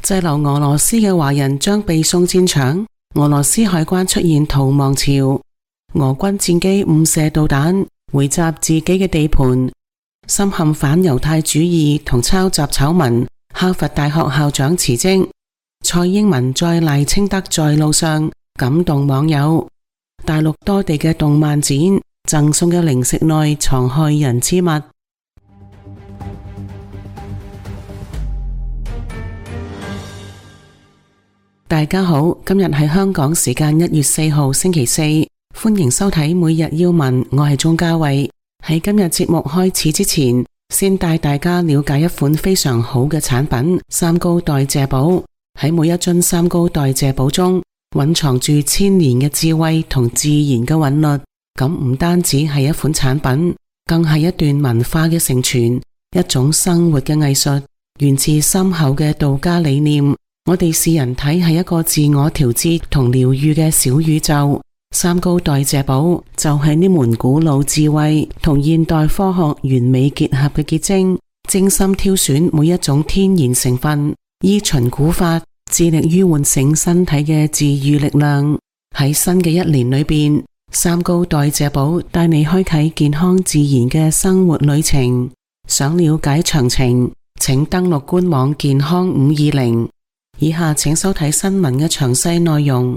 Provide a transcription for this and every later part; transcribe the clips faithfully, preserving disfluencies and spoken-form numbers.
滯留俄羅斯嘅華人將被送戰場，俄羅斯海關出現逃亡潮，俄軍戰機誤射導彈回襲自己嘅地盤，深陷反猶太主義同抄襲醜聞，哈佛大學校長辭職，蔡英文再賴清德在路上，感動網友。大陸多地嘅動漫展贈送嘅零食內藏害人之物。大家好，今日係香港時間一月四號星期四，歡迎收睇每日要聞，我係鍾嘉慧。喺今日節目開始之前，先帶大家了解一款非常好嘅產品——三高代謝寶。喺每一樽三高代謝寶中，蘊藏住千年嘅智慧同自然嘅韻律。咁唔單止係一款產品，更係一段文化嘅承傳，一種生活嘅藝術，源自深厚嘅道家理念。我哋視人體係一個自我調節同療癒嘅小宇宙，三高代謝寶就係呢門古老智慧同現代科學完美結合嘅結晶，精心挑選每一種天然成分，依循古法，致力於喚醒身體嘅治癒力量。喺新嘅一年裏邊，三高代謝寶帶你開啟健康自然嘅生活旅程。想了解詳情，請登錄官網健康五二零。以下請收睇新聞嘅詳細內容。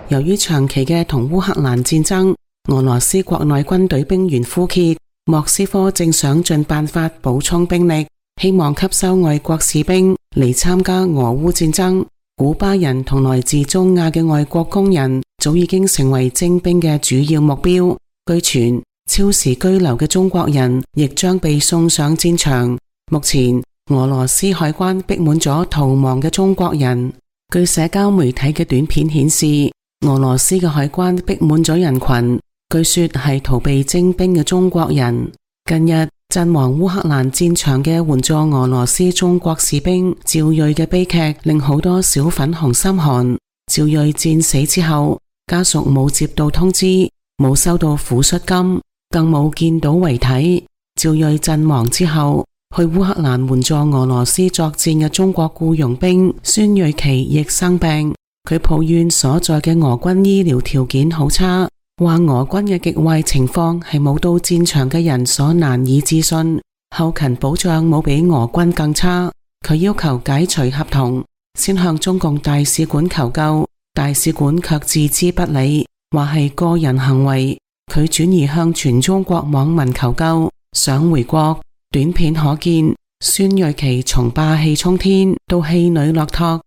由於長期嘅同烏克蘭戰爭，俄羅斯國內軍隊兵源枯竭，莫斯科正想盡辦法補充兵力，希望吸收外國士兵嚟參加俄烏戰爭。古巴人同來自中亞嘅外國工人早已經成為徵兵嘅主要目標。據傳，超時居留嘅中國人亦將被送上戰場。目前，俄羅斯海關逼滿咗逃亡嘅中國人。據社交媒體嘅短片顯示，俄羅斯嘅海關逼滿咗人群，據說係逃避徵兵嘅中國人。近日陣亡烏克蘭戰場嘅援助俄羅斯中國士兵趙瑞嘅悲劇令好多小粉紅心寒。趙瑞戰死之後，家屬冇接到通知，冇收到撫恤金，更冇見到遺體。趙瑞陣亡之後，去烏克蘭援助俄羅斯作戰嘅中國僱傭兵孫瑞奇亦生病，佢抱怨所在嘅俄軍醫療條件好差，話俄軍嘅極壞情況係冇到戰場嘅人所難以置信，後勤保障冇比俄軍更差。佢要求解除合同，先向中共大使館求救，大使館卻置之不理，話係個人行為。佢轉移向全中國網民求救，想回國。短片可見，孫瑞奇從霸氣沖天到氣餒落拓。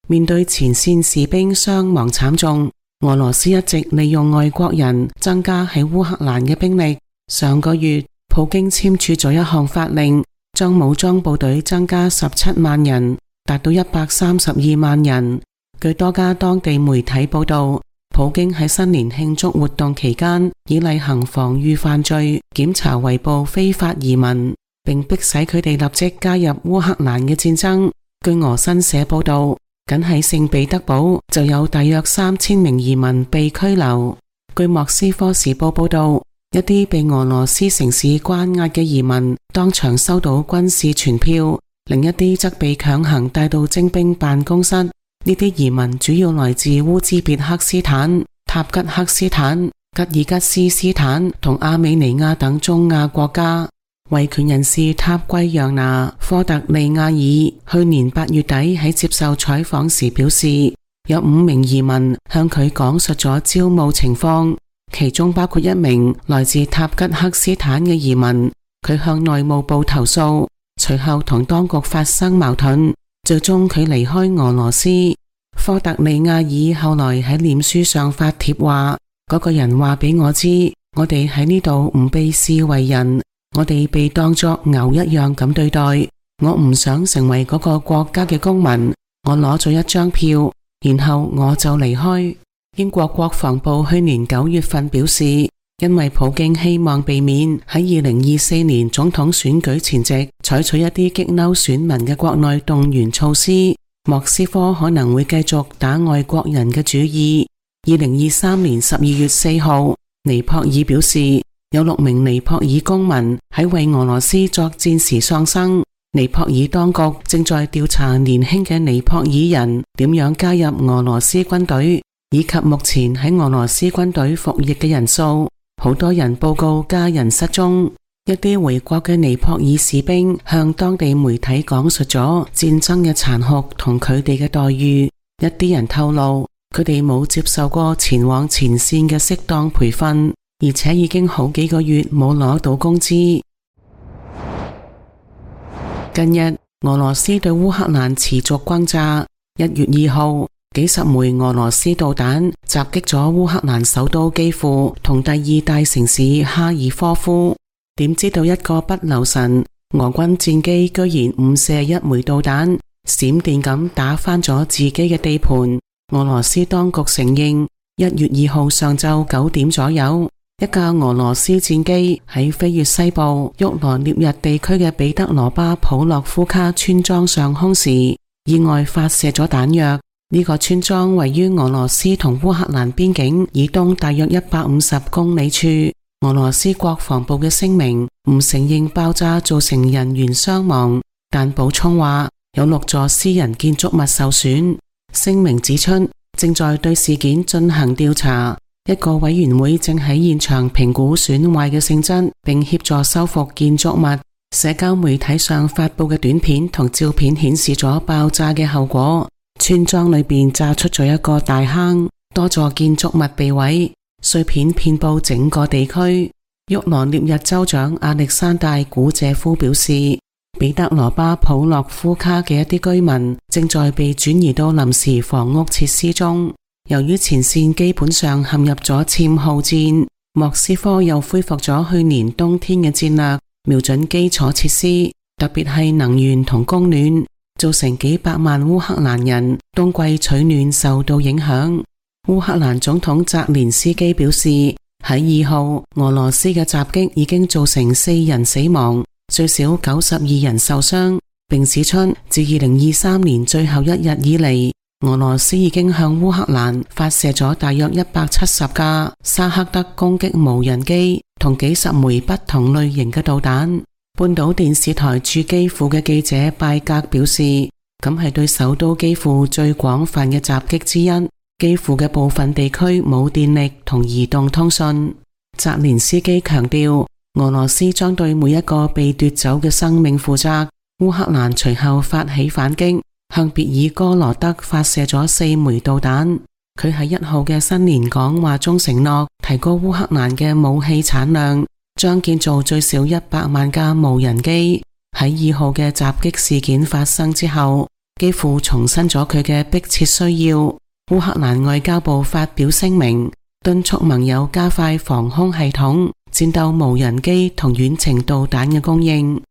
面對前線士兵傷亡慘重，俄羅斯一直利用外國人增加喺烏克蘭嘅兵力。上個月，普京簽署咗一項法令，將武裝部隊增加十七萬人，達到一百三十二萬人。據多家當地媒體報道，普京喺新年慶祝活動期間，以例行防禦犯罪檢查圍捕非法移民，並迫使佢哋立即加入烏克蘭嘅戰爭。據俄新社報道，僅喺聖彼得堡就有大約三千名移民被拘留。據莫斯科時報報道，一啲被俄羅斯城市關押嘅移民當場收到軍事傳票，另一啲則被強行帶到徵兵辦公室。呢啲移民主要來自烏茲別克斯坦、塔吉克斯坦、吉爾吉斯斯坦同阿美尼亞等中亞國家。維權人士塔圭揚拿科特利亞爾去年八月底喺接受採訪時表示，有五名移民向佢講述咗招募情況，其中包括一名來自塔吉克斯坦嘅移民。佢向內務部投訴，隨後同當局發生矛盾，最終佢離開俄羅斯。科特利亞爾後來喺臉書上發帖話，嗰個人話俾我知，我哋喺呢度唔被視為人，我哋被當作牛一樣咁對待，我唔想成為嗰個國家嘅公民，我攞咗一張票，然後我就離開。英國國防部去年九月份表示，因為普京希望避免喺二零二四年總統選舉前夕採取一啲激嬲選民嘅國內動員措施，莫斯科可能會繼續打外國人嘅主意。二零二三年十二月四號，尼泊爾表示，有六名尼泊爾公民喺為俄羅斯作戰時喪生，尼泊爾當局正在調查年輕嘅尼泊爾人點樣加入俄羅斯軍隊，以及目前喺俄羅斯軍隊服役嘅人數。好多人報告家人失蹤。一啲回國嘅尼泊爾士兵向當地媒體講述咗戰爭嘅殘酷同佢哋嘅待遇。一啲人透露，佢哋冇接受過前往前線嘅適當培訓，而且已經好幾個月冇攞到工資。近日，俄羅斯對烏克蘭持續轟炸。一月二號，幾十枚俄羅斯導彈襲擊咗烏克蘭首都基輔同第二大城市哈爾科夫。點知道一個不留神，俄軍戰機居然誤射一枚導彈，閃電咁打翻咗自己嘅地盤。俄羅斯當局承認，一月二號上晝九點左右，一架俄羅斯戰機喺飛越西部沃羅涅日地區嘅彼得羅巴普洛夫卡村莊上空時，意外發射咗彈藥。呢個村莊位於俄羅斯同烏克蘭邊境以東大約一百五十公里處。俄羅斯國防部嘅聲明唔承認爆炸造成人員傷亡，但補充話有六座私人建築物受損。聲明指出，正在對事件進行調查，一個委員會正喺現場評估損壞嘅性質，並協助修復建築物。社交媒體上發佈嘅短片同照片顯示咗爆炸嘅後果，村莊裏邊炸出咗一個大坑，多座建築物被毀，碎片遍佈整個地區。沃羅涅日州長亞歷山大古謝夫表示，彼得羅巴普洛夫卡嘅一啲居民正在被轉移到臨時房屋設施中。由於前線基本上陷入咗殲耗戰，莫斯科又恢復咗去年冬天嘅戰略，瞄準基礎設施，特別係能源同供暖，造成幾百萬烏克蘭人冬季取暖受到影響。烏克蘭總統澤連斯基表示，喺二號俄羅斯嘅襲擊已經造成四人死亡，最少九十二人受傷，並指出自二零二三年最後一日以嚟，俄羅斯已經向烏克蘭發射咗大約一百七十架沙克德攻擊無人機同幾十枚不同類型嘅導彈。半島電視台駐基輔嘅記者拜格表示，咁係對首都基輔最廣泛嘅襲擊之一。基輔嘅部分地區冇電力同移動通訊。澤連斯基強調，俄羅斯將對每一個被奪走嘅生命負責。烏克蘭隨後發起反擊，向別爾哥羅德發射咗四枚導彈。佢喺一號嘅新年講話中承諾提高烏克蘭嘅武器產量，將建造最少一百萬架無人機。喺二號嘅襲擊事件發生之後，基輔重申咗佢嘅迫切需要。烏克蘭外交部發表聲明，敦促盟友加快防空系統、戰鬥無人機同遠程導彈嘅供應。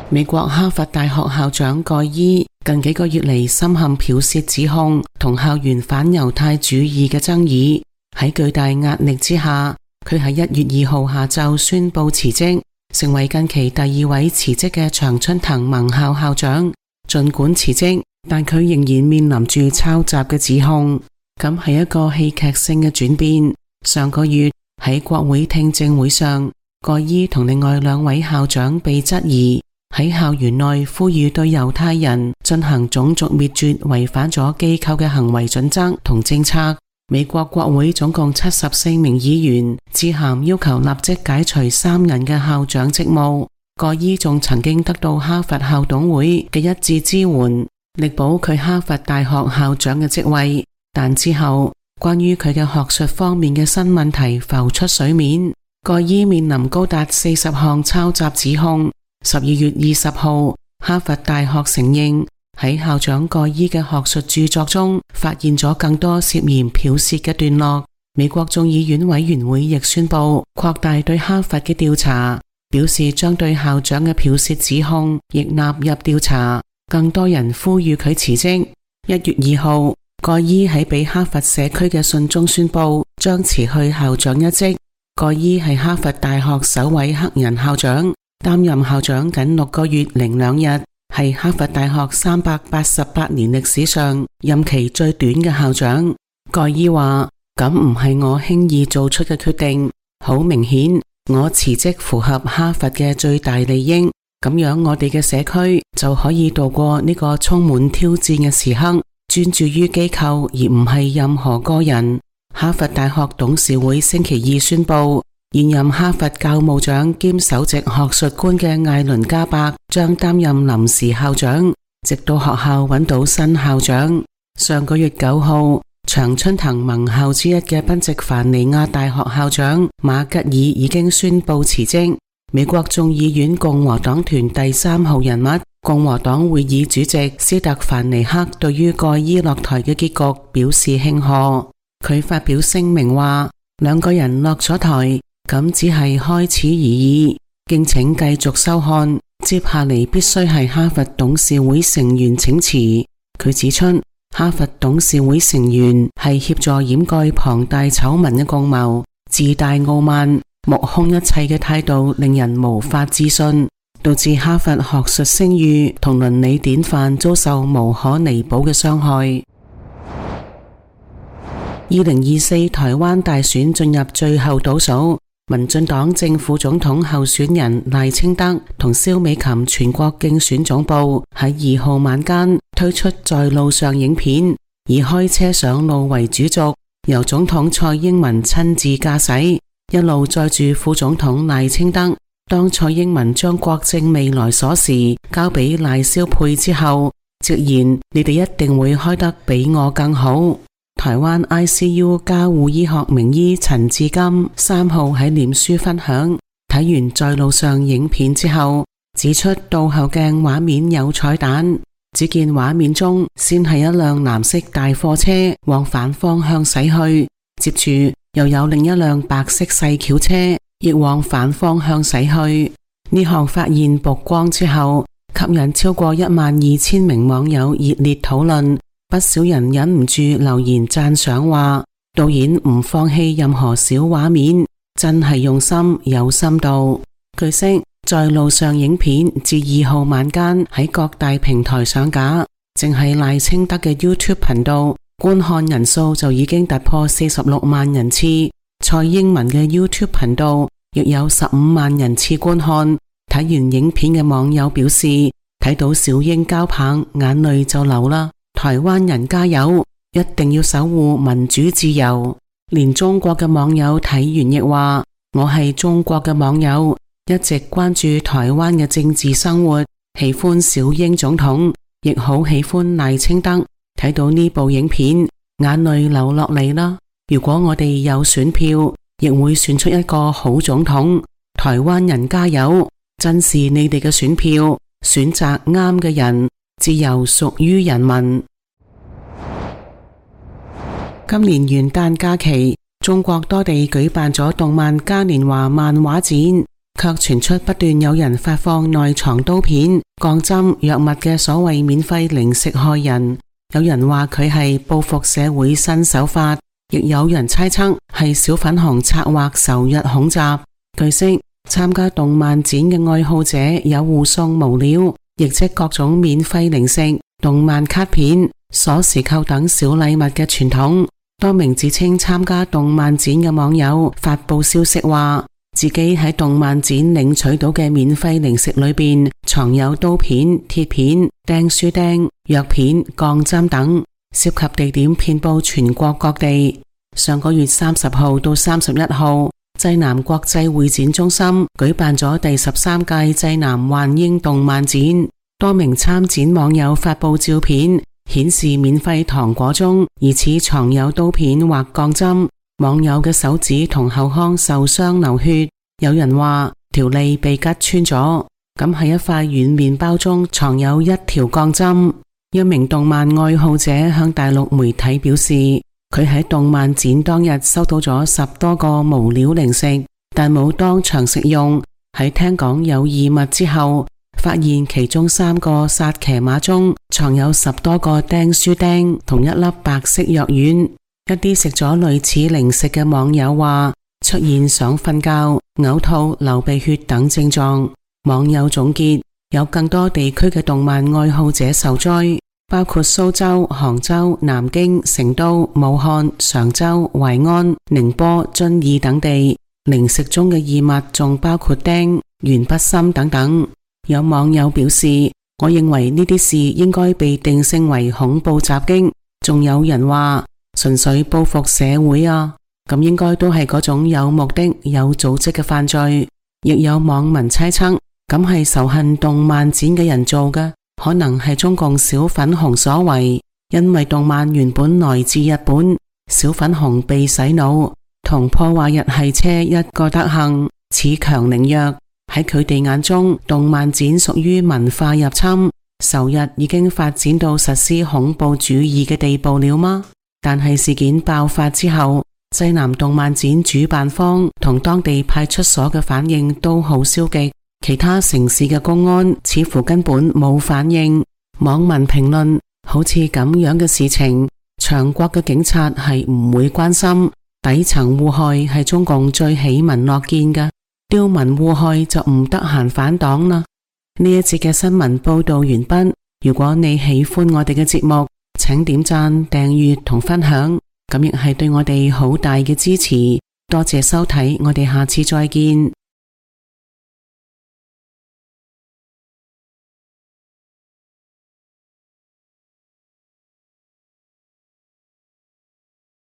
美國哈佛大學校長蓋伊近幾個月嚟深陷剽竊指控同校園反猶太主義嘅爭議，喺巨大壓力之下，佢喺一月二號下晝宣布辭職，成為近期第二位辭職嘅常春藤盟校校長。儘管辭職，但佢仍然面臨住抄襲嘅指控，咁係一個戲劇性嘅轉變。上個月喺國會聽證會上，蓋伊同另外兩位校長被質疑喺校園內呼籲對猶太人進行種族滅絕，違反咗機構嘅行為準則同政策。美國國會總共七十四名議員致函要求立即解除三人嘅校長職務。蓋伊仲曾經得到哈佛校董會嘅一致支援，力保佢哈佛大學校長嘅職位，但之後關於佢嘅學術方面嘅新問題浮出水面。蓋伊面臨高達四十項抄襲指控。十二月二十號，哈佛大學承認喺校長蓋伊嘅學術著作中發現咗更多涉嫌剽竊嘅段落。美國眾議院委員會亦宣布擴大對哈佛嘅調查，表示將對校長嘅剽竊指控亦納入調查。更多人呼籲佢辭職。一月二號，蓋伊喺俾哈佛社區嘅信中宣布將辭去校長一職。蓋伊係哈佛大學首位黑人校長，擔任校長僅六個月零兩日，係哈佛大學三百八十八年歷史上任期最短嘅校長。蓋伊話：咁唔係我輕易做出嘅決定，好明顯我辭職符合哈佛嘅最大利益。咁樣我哋嘅社區就可以度過呢個充滿挑戰嘅時刻，專注於機構而唔係任何個人。哈佛大學董事會星期二宣布，現任哈佛教務長兼首席學術官嘅艾倫加伯將擔任臨時校長，直到學校揾到新校長。上個月九號，長春藤盟校之一嘅賓夕凡尼亞大學校長馬吉爾已經宣布辭職。美國眾議院共和黨團第三號人物，共和黨會議主席斯特凡尼克對於蓋伊落台嘅結局表示慶賀。佢發表聲明話，兩個人落咗台，咁只係開始而已，敬請繼續收看。接下嚟必須係哈佛董事會成員請辭。佢指出，哈佛董事會成員係協助掩蓋龐大醜聞嘅共謀，自大傲慢、目空一切嘅態度令人無法置信，導致哈佛學術聲譽同倫理典範遭受無可彌補嘅傷害。二零二四台灣大選進入最後倒數，民進黨正副總統候選人賴清德同蕭美琴全國競選總部喺二號晚間推出在路上影片，以開車上路為主軸，由總統蔡英文親自駕駛，一路載住副總統賴清德。當蔡英文將國政未來鎖匙交俾賴蕭配之後，直言你哋一定會開得比我更好。台灣 I C U 加護醫學名醫陳志金三號喺臉書分享，睇完在路上影片之後，指出倒後鏡畫面有彩蛋。只見畫面中先係一輛藍色大貨車往反方向駛去，接住又有另一輛白色細轎車亦往反方向駛去。呢項發現曝光之後，吸引超過一萬二千名網友熱烈討論。不少人忍唔住留言讚賞話，導演唔放棄任何小畫面，真係用心有深度。據悉，在路上影片自二號晚間喺各大平台上架，淨係賴清德嘅 YouTube 頻道觀看人數就已經突破四十六萬人次，蔡英文嘅 YouTube 頻道亦有十五萬人次觀看。睇完影片嘅網友表示，睇到小英交棒，眼淚就流啦。台灣人加油，一定要守護民主自由。連中國嘅網友睇完亦話，我係中國嘅網友，一直關注台灣嘅政治生活，喜歡小英總統，亦好喜歡賴清德。睇到呢部影片，眼淚流落嚟啦。如果我哋有選票，亦會選出一個好總統。台灣人加油，珍視你哋嘅選票，選擇啱嘅人，自由屬於人民。今年元旦假期，中國多地舉辦咗動漫嘉年華漫畫展，卻傳出不斷有人發放內藏刀片、鋼針、藥物嘅所謂免費零食害人。有人話佢係報復社會新手法，亦有人猜測係小粉紅策劃仇日恐襲。據悉，參加動漫展嘅愛好者有互送無料，亦即各種免費零食、動漫卡片、鎖匙扣等小禮物嘅傳統。多名自稱參加動漫展嘅網友發佈消息話，自己喺動漫展領取到嘅免費零食裏邊藏有刀片、鐵片、釘書釘、藥片、鋼針等，涉及地點遍佈全國各地。上個月三十號到三十一號，濟南國際會展中心舉辦咗第十三屆濟南幻英動漫展，多名參展網友發佈照片，顯示免費糖果中疑似藏有刀片或鋼針，網友嘅手指同後腔受傷流血，有人話條脷被拮穿咗。咁喺一塊軟麵包中藏有一條鋼針。一名動漫愛好者向大陸媒體表示，佢喺動漫展當日收到咗十多個無料零食，但冇當場食用。喺聽講有異物之後，發現其中三個薩琪瑪中藏有十多個釘書釘同一粒白色藥丸。一啲食咗類似零食嘅網友話，出現想瞓覺、嘔吐、流鼻血等症狀。網友總結，有更多地區嘅動漫愛好者受災，包括蘇州、杭州、南京、成都、武漢、常州、淮安、寧波、遵義等地。零食中嘅異物仲包括釘、鉛筆芯等等。有網友表示，我認為呢啲事應該被定性為恐怖襲擊。仲有人話純粹報復社會啊，咁應該都係嗰種有目的、有組織嘅犯罪。亦有網民猜測，咁係仇恨動漫展嘅人做嘅，可能係中共小粉紅所為。因為動漫原本來自日本，小粉紅被洗腦，同破壞日系車一個德行，恃強凌弱。喺佢哋眼中，動漫展屬於文化入侵，仇日已經發展到實施恐怖主義嘅地步了嗎？但係事件爆發之後，濟南動漫展主辦方同當地派出所嘅反應都好消極，其他城市嘅公安似乎根本冇反應。網民評論，好似咁樣嘅事情，長國嘅警察係唔會關心，底層禍害係中共最喜聞樂見嘅，刁民禍害就唔得閒反黨啦。呢一節嘅新聞報道完畢。如果你喜歡我哋嘅節目，請點讚、訂閱同分享，咁亦係對我哋好大嘅支持。多謝收睇，我哋下次再見。